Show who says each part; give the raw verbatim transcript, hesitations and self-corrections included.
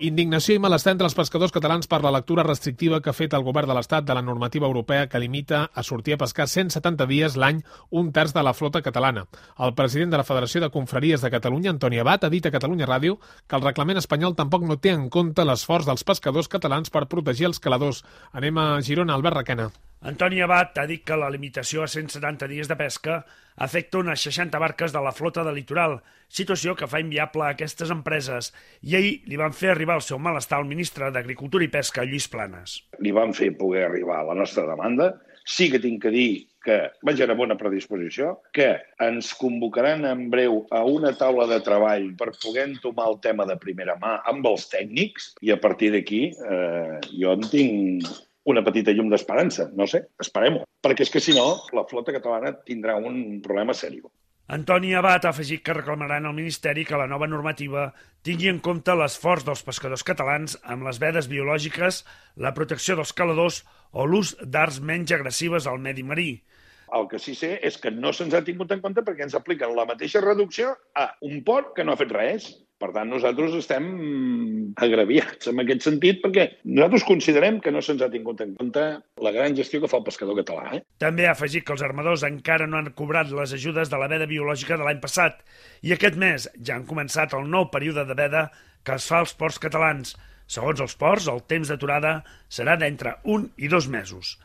Speaker 1: Indignació i malestar entre els pescadors catalans per la lectura restrictiva que ha fet el govern de l'Estat de la normativa europea que limita a sortir a pescar cent setanta dies l'any un terç de la flota catalana. El president de la Federació de Confraries de Catalunya, Antoni Abat, ha dit a Catalunya Ràdio que el reglament espanyol tampoc no té en compte l'esforç dels pescadors catalans per protegir els caladors. Anem a Girona, Albert Requena.
Speaker 2: Antoni Abat ha dit que la limitació a cent setanta dies de pesca afecta unes seixanta barques de la flota del litoral, situació que fa inviable a aquestes empreses, i ahir li van fer arribar el seu malestar al ministre d'Agricultura i Pesca, Lluís Planas.
Speaker 3: Li van fer poder arribar a la nostra demanda. Sí que tinc que dir que vaig a bona predisposició, que ens convocaran en breu a una taula de treball per poder entomar el tema de primera mà amb els tècnics, i a partir d'aquí eh, jo en tinc una petita llum d'esperança. No sé, esperem-ho. Perquè és que, si no, la flota catalana tindrà un problema sèrio.
Speaker 2: Antoni Abat ha afegit que reclamaran al Ministeri que la nova normativa tingui en compte l'esforç dels pescadors catalans amb les vedes biològiques, la protecció dels caladors o l'ús d'arts menys agressives al medi marí.
Speaker 3: El que sí sé és que no se'ns ha tingut en compte perquè ens apliquen la mateixa reducció a un port que no ha fet res. Per tant, nosaltres estem agraviats en aquest sentit perquè nosaltres considerem que no se'ns ha tingut en compte la gran gestió que fa el pescador català. Eh?
Speaker 2: També ha afegit que els armadors encara no han cobrat les ajudes de la veda biològica de l'any passat i aquest mes ja han començat el nou període de veda que es fa als ports catalans. Segons els ports, el temps d'aturada serà d'entre un i dos mesos.